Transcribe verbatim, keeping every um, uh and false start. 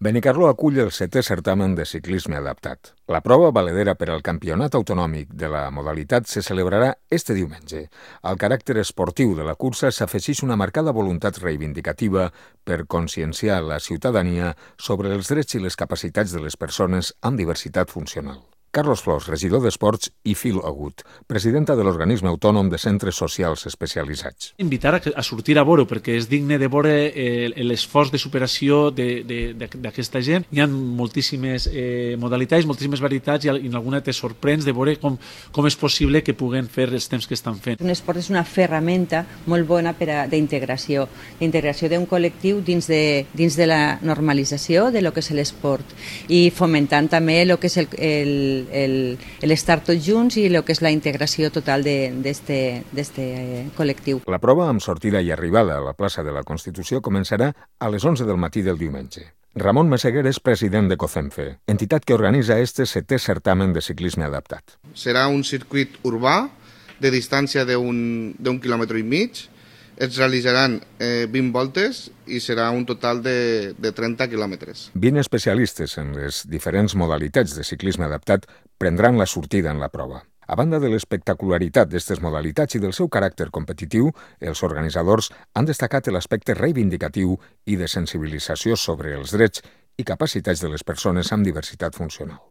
Benicarló acull el setè certamen de ciclisme adaptat. La prova valedera per al campionat autonòmic de la modalitat se celebrarà este diumenge. Al caràcter esportiu de la cursa s'afegeix una marcada voluntat reivindicativa per conscienciar la ciutadania sobre els drets i les capacitats de les persones amb diversitat funcional. Carlos Flors, regidor d'Esports, i Phil Agut, presidenta de l'organisme autònom de centres socials especialitzats. Invitar a, a sortir a veure, perquè és digne de veure eh, l'esforç de superació d'aquesta gent. Hi ha moltíssimes eh, modalitats, moltíssimes varietats, i en alguna te sorprens de veure com, com és possible que puguen fer els temps que estan fent. Un esport és una ferramenta molt bona d'integració, d'integració d'un col·lectiu dins de, dins de la normalització de lo que és l'esport i fomentant també el que és el, el l'estar tots junts i el que és la integració total d'aquest col·lectiu. La prova amb sortida i arribada a la plaça de la Constitució començarà a les onze del matí del diumenge. Ramon Meseguer és president de COCENFE, entitat que organitza este setè certamen de ciclisme adaptat. Serà un circuit urbà de distància d'un quilòmetre i mig. Es realitzaran eh, vint voltes i serà un total de, de trenta quilòmetres. vint especialistes en les diferents modalitats de ciclisme adaptat prendran la sortida en la prova. A banda de l'espectacularitat d'aquestes modalitats i del seu caràcter competitiu, els organitzadors han destacat l'aspecte reivindicatiu i de sensibilització sobre els drets i capacitats de les persones amb diversitat funcional.